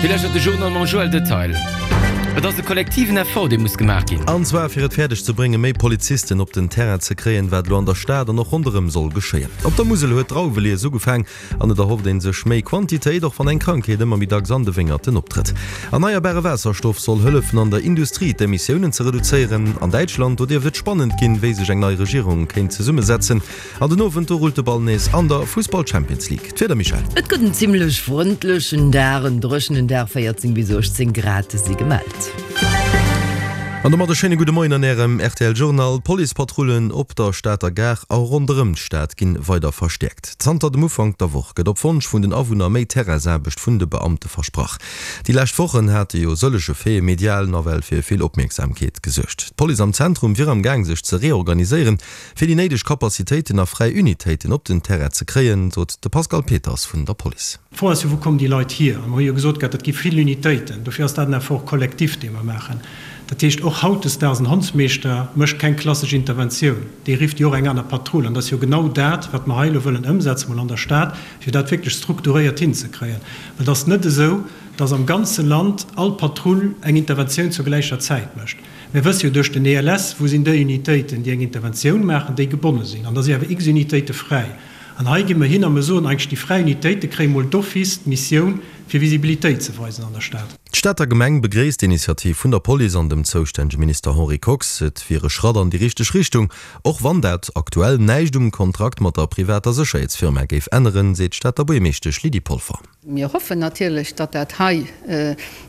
Dir lauschtert de Journal mam Joël Detail. Et ass e kollektiven Effort, dee muss gemaach ginn. An zwar fir et fäerdeg ze bréngen, méi Polizisten op den Terrain ze kréien, wat elo an der Stad an och ronderëm soll geschéien. Op der Musel huet d'Drauwelies ugefaang an et erhofft ee sech méi Quantitéit, och wann eng Krankheet ëmmer méi dacks an de Wéngerten optrëtt. Erneierbare Waasserstoff soll hëllefen an der Industrie d'Emissiounen ze reduzéieren. An Däitschland, do dierft et spannend ginn, wéi sech eng nei Regierung kéint zesummesetzen. An den Owend, do rullt de Ball nees an der Fussball Champions League. D'Wieder, Michèle? Et gëtt en zimmlech frëndlechen Dag, en dréchenen Dag, 14 bis 18 Grad si gemellt. An domat e schéine gudde Moien an Ärem rtl Journal. D'Policepatrullen op der Stater Gare a ronderëm d'Stad ginn weider verstäerkt. Zanter dem Ufank der Woch gëtt op Wonsch vun den Awunner méi Terrainsaarbecht vun de Beamte versprach. Déi lescht Wochen hate jo sëllege Faite medial nawell fir vill Opmierksamkeet gesuergt. D'Police am Zentrum wier am Gaang sech ze reorganiséieren, Fir déi néideg Capacitéiten a fräi Unitéiten op den Terrain ze kréien, sot de Pascal Peters vun der Police. D'Fro ass jo, Wou kommen déi Leit hier? A mer hu jo gesot gehat, dat gi vill Unitéiten. Dofir ass dat en Effort collectif, dee mer maachen. Dat heescht, och hautdesdaags, en Hondsmeeschter mécht keng klassesch Interventioun, dee rifft jo och eng aner Patrull. An dat ass jo genau dat, wat mer hei elo wëllen ëmsetzen, mol an der Stad, fir dat wierklech strukturéiert hinzekréien. Well et ass net esou, dass am ganze Land all Patrull eng Interventioun zur gläicher Zäit mécht. Mir wësse jo duerch den ELS, wou sinn déi Unitéiten, déi eng Interventioun maachen, déi gebonne sinn. An da si awer x Unitéite fräi. An hei gi mer hin a mer soen eigentlech, déi fräi Unitéite kréie mol d'office d'Missioun, fir Visibilitéit ze weisen an der Stad. D'Stater Gemeng begréisst d'Initiativ vun der Police an dem zoustännege Minister Henri Kox. Et wier e Schratt an déi richteg Richtung, och wann dat aktuell näischt um Kontrakt mat der privater Sécherheetsfirma géif änneren, seet d'Stater Buergermeeschtesch Lydie Polfer. Mir hoffen natierlech, datt dat hei,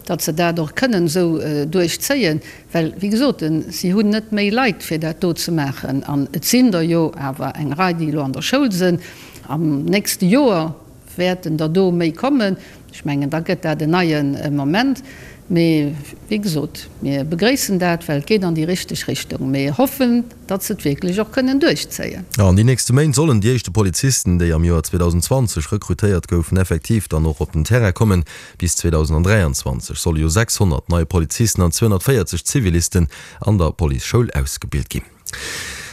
datt se dat och kënnen esou duerchzéien, well, wéi gesot, si hunn net méi Leit, fir dat do ze maachen. An et sinn der jo awer eng Rei, déi elo an der Schoul sinn. Am nächste Joer wäerten der do méi kommen. Ech mengen, da gëtt dat en neie Moment. Mee, wéi gesot, mir begréissen dat, well et geet an déi richteg Richtung. Mir hoffen, datt se et wierklech och kënnen duerchzéien. An déi nächste Méint sollen déi éischte Polizisten, déi am Joer 2020 rekrutéiert goufen, effektiv dann och op den Terrain kommen. Bis 2023 solle jo 600 nei Polizisten an 240 Zivilisten an der Policeschoul ausgebilt ginn.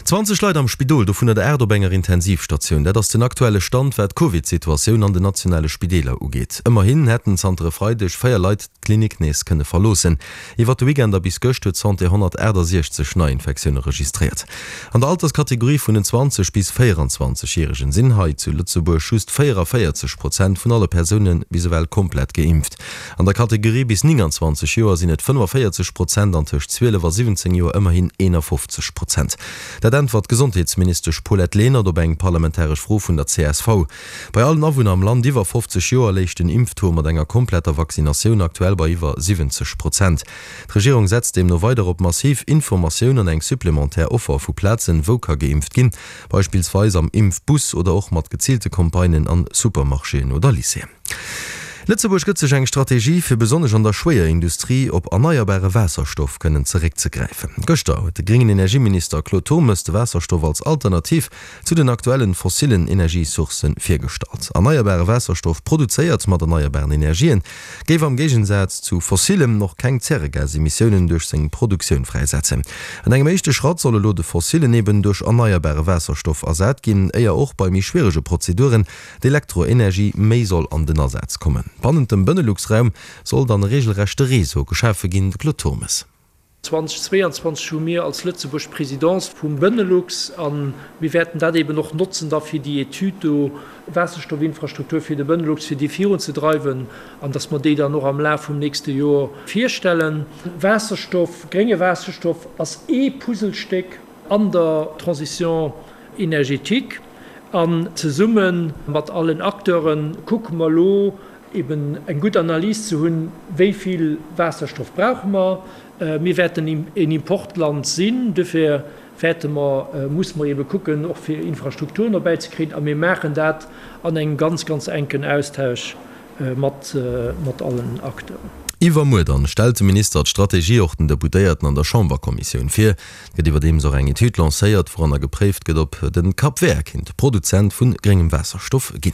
20 Leit am Spidol, dovunner der 8 op enger Intensivstatioun. Dat ass den aktuelle Stand, wat d'Covid-Situatioun an den nationale Spideeler ugeet. Ëmmerhin hätten zanter e Freideg 4 Leit d'Klinik nees kënne verloossen. Iwwer de Weekend a bis gëscht huet d'Santé 168 Neiinfektioune registréiert. An der Alterskategorie vun den 20 bis 24 Järegen sinn hei zu Lëtzebuerg just 44 Prozent vun alle Persoune bis ewell komplett geimpft. An der Kategorie bis 29 Joer sinn et 45 Prozent an tëscht 12 a 17 Joer ëmmerhin 51 Prozent. Dat äntwert d'Gesondheetsministesch Paulette Lenert op eng parlamentaresch Fro vun der csv. Bei allen Awunner am Land iwwer 50 Joer léich den Impftaux mat enger kompletter Vaccinatioun aktuell bei iwwer 70 Prozent. D'Regierung setzt deemno weider op massiv Informatioun an eng supplementär Offer vu Plazen, wou ka geimpft ginn, beispillsweis am Impfbus oder och mat geziilte Campagnen an Supermarchéen oder Lycéeën. Lëtzebuerg gëtt sech eng Strategie, fir besonnesch an der Schwéierindustrie op erneierbare Waasserstoff kënnen zeréckzegräifen. Gëschter huet de gréngen Energieminister Claude Turmes de Waasserstoff als Alternativ zu den aktuellen fossillen Energiesourcen virgestallt. Erneierbare Waasserstoff, produzéiert mat erneierbaren Energien, géif am Géigensaz zu fossillem och keng Zäregasemissiounen duerch seng Produktioun fräisetzen. An engem éischte Schratt soll elo de fossillen eben duerch erneierbare Waasserstoff ersat ginn, éier och bei méi schwierege Prozeduren d'Elektroenergie méi soll an den Asaz kommen. Bannent dem Benelux-Raum soll dann e regelrechte Réseau geschafe ginn. De Claude Turmes. 2022 hu mir als Lëtzebuerg d'Presidence vum Benelux a mir wäerten dat eben och notzen da fir déi Etüd do, Waasserstoffinfrastruktur fir de Benelux, fir déi virunzedreiwen an datt mer déi dann och am Laf vum nächste Joer virstellen. Waasserstoff, grénge Waasserstoff ass ee Puzzlestéck an der Transition énergétique an zesumme mat allen Acteure kucke mer elo, eben eng gutt Analys ze hunn, wéi vill Waasserstoff brauche mer. Mir wäerten een Importland sinn, dofir wäerte mer, musse mer ebe kucken, och fir Infrastrukturen erbäizekréien. A mir maachen dat an engem ganz, ganz enken Austausch mat allen Acteuren. Iwwermuer dann stellt de Minister d'Strategie och den Deputéierten an der Chamberkommissioun vir. Et gëtt iwwerdeems och eng Etüd lancéiert, wouranner gepréift gëtt, ob de Cap Vert kéint Produzent vu gréngem Waasserstoff ginn.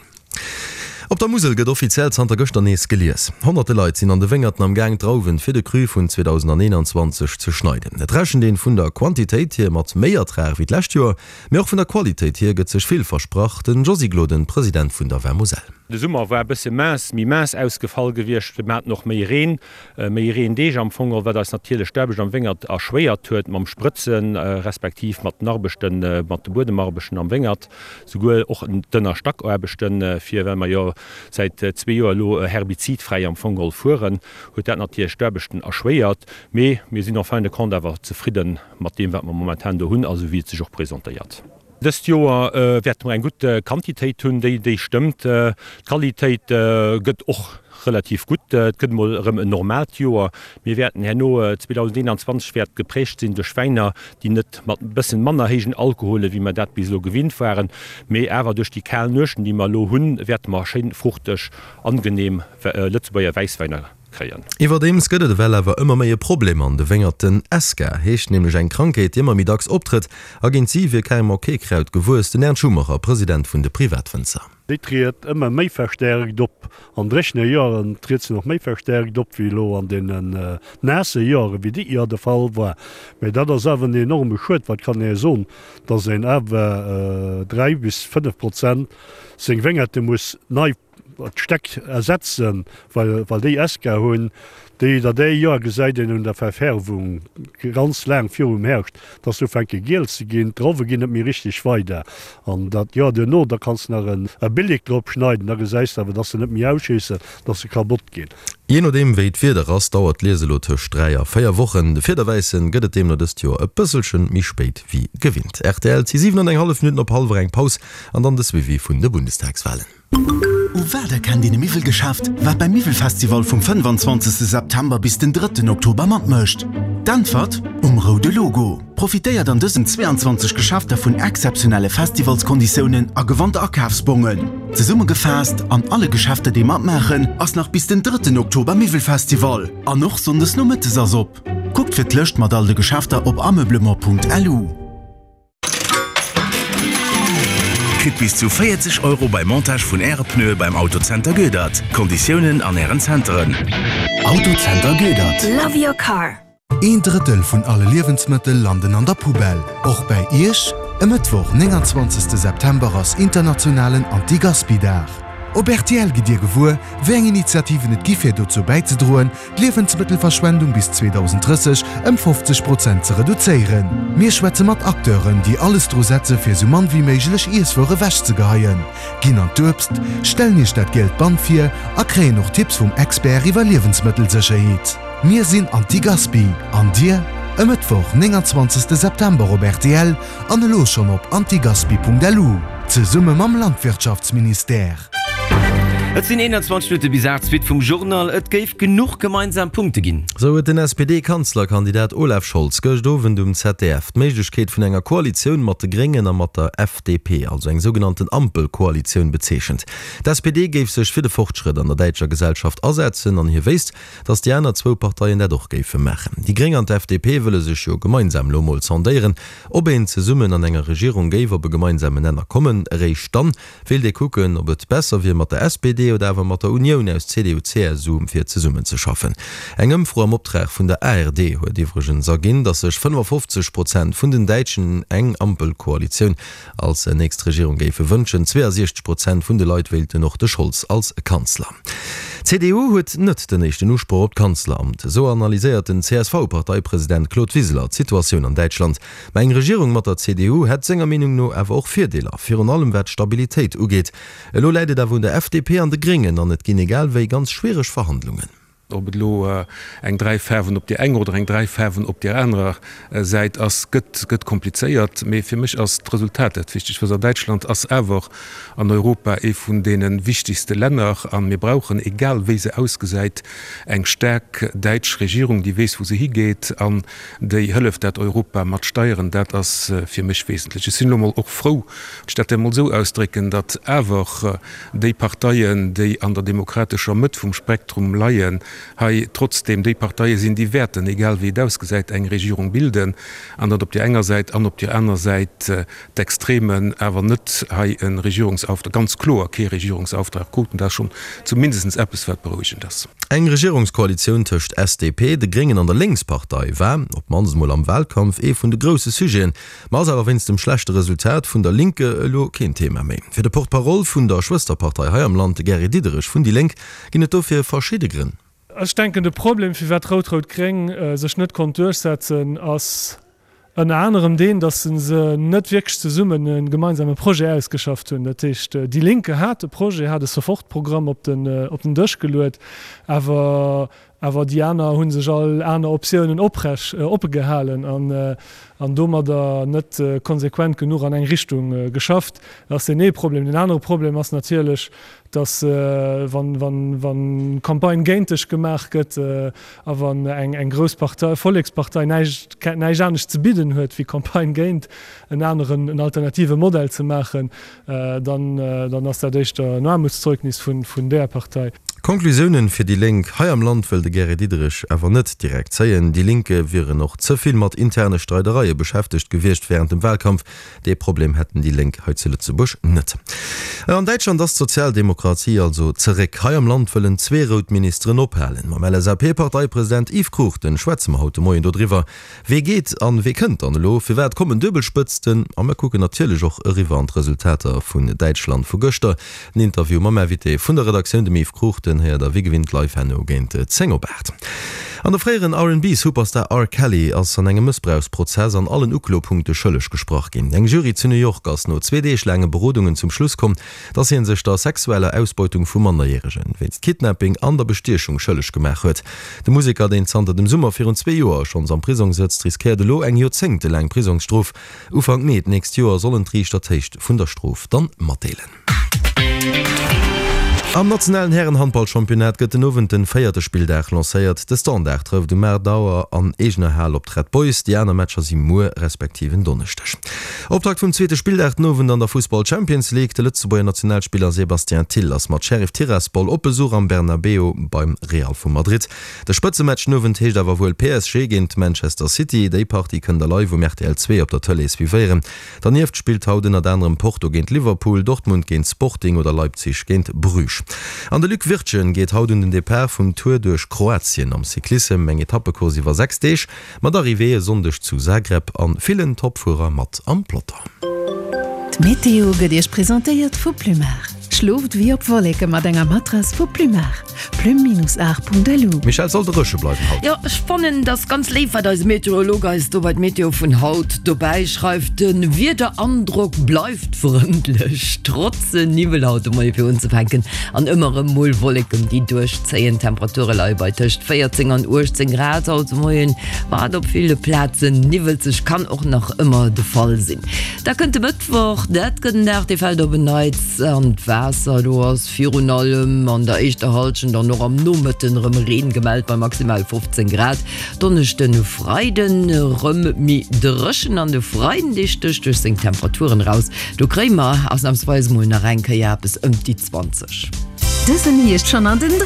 Op der Musel gëtt offiziell zanter gëschter nees gelies. Honnerte Leit sinn an de Wéngerten am Gaang d'Drauwen fir de Cru vun 2021 ze schneiden. Et rechent een vun der Quantitéit hier mat méi Ertrag wéi d'lescht Joer, mee och vun der Qualitéit hier gëtt sech vill versprach. Den Josy Gloden, President vun der Vin Moselle. De Summer war e bësse mince, méi mince ausgefall gewiescht. Mir haten och méi Reen, méi Reendeeg am Fong, wat eis natierlech d'Aarbecht am Wéngert erschwéiert huet mam Sprëtzen, respektiv mat den Arbechten, mat de Buedemarbechten am Wéngert, souguer och d'Ënnerstackaarbechten, fir well mer jo säit zwee Joer elo herbizidfräi am Fong geholl fueren, huet dat natierlech d'Aarbechten erschwéiert. Mee mir sinn en fin de compte awer zefridde mat deem, wat mer momentan do hunn a sou wéi et sech och presentéiert. Dëst Joer wäerte mer eng gutt Quantitéit hunn, déi déi stëmmt. D'Qualitéit gëtt och relativ gutt. Et gëtt emol erëm en normaalt Joer. Mir wäerten herno, 2021 wäert geprägt sinn duerch Wäiner, déi net mat e bëssen manner héijen Alkohole wéi mer dat bis elo gewinnt waren, mee awer duerch déi kal Nuechten, déi mer elo hunn, wäerte mer schéin fruchteg, angenehm Lëtzebuerger Wäisswäiner kréien. Iwwerdeems gëtt et ewell awer ëmmer méi e Problem an de Wéngerten. Esca heescht nämlech eng Krankheet, déi ëmmer méi dacks optrëtt a géint si wier carrément kee Kraut gewuess. Den Ernst Schumacher, President vun de Privatwënzer. Déi triet ëmmer méi verstärkt op. An dréchene Joeren triet se nach méi verstärkt op wéi elo an deenen naasse Joeren, wéi dit Joer de Fall war. Mä dat ass awer en enorme Schued, wat kann ee soen, dass een awer 3 bis 5 Prozent seng Wéngerte muss nei d'Stäck ersetzen, well well déi Esca hunn, déi der déi Joer gesäit een un der Verfärbung ganz laang virum Herrscht, dass se ufänke giel ze ginn, d'Drauwe ginn net méi richteg weider an dat Joer duerno, da kanns de nach e Billig drop schneiden, da gesäis de awer, dass se net méi ausschéissen, dass se kabott ginn. Jee nodeem wéi d'Wieder ass, dauert d'Lies elo tëscht 3 a 4 Wochen. De Fiederwäissen gëtt et deemno dëst Joer e bësselchen méi spéit wéi gewinnt. Rtl, 't si 7 an eng hallef Minutten op hallwer eng Paus an dann de Suivi vun de Bundestagswalen. U wat erkennt een e Miwwelgeschäft, wat beim Miwwelfestival vum 25 September bis den drëtten Oktober matmécht? D'Äntwert, Um roude Logo! Profitéiert an dësen 22 Geschäfter vun exzeptionelle Festivalskonditiounen a gewannt Akafsbongen. Zesummegefaasst, An alle Geschäfter déi matmaachen, ass nach bis den drëtten Oktober Miwwelfestival an och Sonndes nomëttes ass op. Kuckt fir d'Lëscht mat all de Geschäfter op ameublement.lu. Kritt bis zu 40 Euro beim Montage vun Äre Pneue beim Autocenter Goedert. Konditiounen an Ären Zenteren. Autocenter Goedert. Love your car. Een Drëttel vun alle Liewensmëttel landen an der Poubelle. Och bäi Iech? E Mëttwoch, 29 September ass internationalen Anti-Gaspi-Dag. Op rtl gitt Dir gewuer, wéi eng Initiativen et gi fir dozou bäizedroen, d'Liewensmëttelverschwendung bis 2030 ëm 50 Prozent ze reduzéieren. Mir schwätze mat Acteuren, déi alles dru setze fir sou mann wéi méiglech Iesswuer ewechzegeheien, ginn an d'Uebst, stellen iech dat gielt Band vir a kréien och Tipps vum Expert iwwer Liewensmëttelsécherheet. Mir sinn Antigaspi, an dir? E Mëttwoch, 29 September op rtl an elo schonn op antigaspi.lu, zesumme mam Landwirtschaftsministère. Et sinn 21 Minutte bis 8, d'Suite vum Journal. Et géif genuch gemeinsam Punkte ginn. Sou huet den SPD-Kanzlerkandidat Olaf Scholz gëscht Owend um ZDF d'Méiglechkeet vun enger Koalitioun mat de Gréngen a mat der FDP, also eng sougenannten Ampelkoalitioun, bezeechent. D'SPD géif sech fir de Fortschrëtt an der däitscher Gesellschaft asetzen an hie wéisst, datt déi aner zwou Parteien dat och géife maachen. Déi Gréng an d'FDP wëlle sech jo gemeinsam elo mol sondéieren, ob een zesummen an enger Regierung géif op e gemeinsamen Nenner kommen. Eréischt dann Wéilt ee kucken, ob et besser wier mat der SPD oder awer mat der Unioun aus CDU-CSU fir zesummenzeschaffen. Eng Ëmfro am Optrag vun der ARD huet iwwregens erginn, datt sech 55 Prozent vun den Däitschen eng Ampelkoalitioun als nächst Regierung géife wënschen. 62 Prozent vun de Leit wéilten och de Scholz als Kanzler. D'CDU huet net den éischten Usproch op d'Kanzleramt, esou analyséiert den CSV-Parteipresident Claude Wiseler d'Situatioun an Däitschland. Mä eng Regierung mat der CDU hätt senger Meenung no awer och Virdeeler, virun allem wat d'Stabilitéit ugeet. Elo läit et awer un der FDP an de Gréngen an et ginn egal wéi ganz schwiereg Verhandlungen. Ob et elo eng 3 Faarwen op deer enger oder eng 3 Faarwen op deer anerer Säit ass, gëtt gëtt komplizéiert. Mee fir mech ass d'Resultat dat Wichtegt. Wësst Der, Däitschland ass awer an Europa ee vun deene wichtegste Länner a mir brauchen, egal wéi se ausgesäit, eng staark däitsch Regierung, déi weess, wou se higeet an Déi Hëllef, dat Europa mat steieren, dat ass fir mech wesentlech. Ech sinn elo mol och frou, wann ech dat emol esou ausdrécken, datt awer déi Parteien, déi an der demokratescher Mëtt vum Spektrum leien, hei trotzdeem déi Parteie sinn, déi wäerten, egal wéi et ausgesäit, eng Regierung bilden, an datt op där enger Säit an op där aner Säit d'Extremen awer net hei e Regierungsauftrag, ganz kloer kee Regierungsauftrag kruten. Dat ass schonn zumindest eppes, wat berouegend ass. Eng Regierungskoalitioun tëscht SDP, de Gréngen an der Lénkspartei war, op d'mannst emol am Wahlkampf, ee vun de grousse Sujeten, ma ass awer wéinst dem schlechte Resultat vun der Linke elo keen Thema méi. Fir de Porte-parole vun der Schwësterpartei hei am Land, de Gary Diderich vun déi Lénk, ginn et dofir verschidde Grënn. Ech denken, de Problem, firwat Rout-Rout-Gréng sech net konnt duerchsetzen, ass ënner anerem deen, datt se net wierklech zesummen e gemeinsame Projet ausgeschafft hunn. Dat heescht, déi Linke hat e Projet, hat e Sofortprogramm op den op den Dësch geluet, awer awer déi aner hu sech all aner Optiounen oprech oppe gehalen an an domadder net konsequent genuch an eng Richtung geschafft. Dat ass deen ee Problem. Deen anere Problem ass natierlech, dass wann Campagne géint dech gemaach gëtt a wann eng grouss Partei, Vollekspartei näischt anescht ze bidden huet wéi Campagne géint en aneren, en alternative Modell ze maachen, dann ass dat éischter en Aarmutszeugnis vun där Partei. Conclusiounen fir déi Lénk hei am Land wëll de Gary Diderich awer net direkt zéien. Déi Linke wieren och ze vill mat interne Streidereie beschäftegt gewiescht wärend dem Wahlkampf. Dee Problem hätten déi Lénk hei zu Lëtzebuerg net. An Däitschland ass d'Sozialdemokratie also zeréck. Hei am Land wëllen zwee rout Ministeren ophalen. Mam LSAP-Parteipresident Yves Cruchten schwätze mer haut de Moien dodriwwer. Wee geet an wee kënnt dann elo? Firwat kommen Duebelspëtzten? A mer kucken natierlech och eriwwer an d'Resultater vun Däitschland vu gëschter. Den Interview mam Invité vun der Redaktioun, dem Yves Cruchten, héiert der wéi gewinnt live herno géint 10 op 8. An de fréieren R&B-Superstar R. Kelly ass an engem Mëssbrauchsprozess an allen Uklopunkte schëlleg gesprach ginn. Eng Jury zu New York ass no zwee Deeg laange Berodungen zum Schluss komm, dass hie sech der sexueller Ausbeutung vu Mannerjäregen, wéinst Kidnapping an der Bestiechung schëlleg gemaach huet. De Museker, deen zanter dem Summer virun zwee Joer schonns am Prisong sëtzt, riskéiert elo eng joerzéngtelaang Prisongsstrof. Ufank Mee d'nächst Joer sollen d'Riichter d'Héicht vun der Strof dann matdeelen. Am nationalen Hären-Handball-Championnat gëtt den Owend den véierte Spilldag lancéiert. De Standard trëfft um 8 Auer an eegener Hal op d'Red Boys. Déi aner Matcher si muer respektiv en Donneschdeg. Optakt vum zweete Spilldag den Owend an der Fussball Champions League. De Lëtzebuerger Nationalspiller Sébastien Thill ass mat Sheriff Tiraspol op Besuch am Bernabeu beim Real vu Madrid. De Spëtzematch den Owend heescht awer wuel PSG géint Manchester City. Déi Partie kënnt der live um rtl 2 op der Tëlee suivéieren. Dernieft spillt haut ënnert anerem Porto géint Liverpool, Dortmund géint Sporting oder Leipzig géint Bruges. An de Luc Wirtgen geet haut un den Depart vum Tour duerch Kroatien am Cyclissem, eng Etappecourse iwwer 6 Deeg mat Arrivée e Sonndeg zu Zagreb an villen Topfuerer mat am Peloton. D'Meteo gëtt Iech presentéiert vu Plumar. Schlooft wéi op Wolleke mat enger Matrass vu Plumar. Plume-art.lu. Michèle, soll dréche bleiwen haut? Jo, ech fannen dass ganz léif wat eise Meteorolog eis do bei d'Meteo vun haut dobäi schreift. De Wiederandrock bleift frëndlech, trotz Niwwel haut de Moie fir unzefänken an ëmmer erëm mol Wolleken déi duerchzéien. D'Temperature leie bei tëscht 14 an 18 Grad haut de Moien, wat op ville Plazen niwwelzeg kann och nach ëmmer de Fall sinn. Da kënnt de Mëttwoch, dat gëtt en Dag dee fält op en Neits an d'Waasser. Do ass virun allem an der éischter Hallschent an och am Nomëtten erëm Reen gemellt bei maximal 15 Grad. Donneschden, Freiden erëm méi dréchen an de Freiden dee stécht duerch seng Temperaturen eraus. Do kréie mer ausnamsweis mol nach eng Kéier eppes ëm déi 20. Dësen Hierscht schonn an den.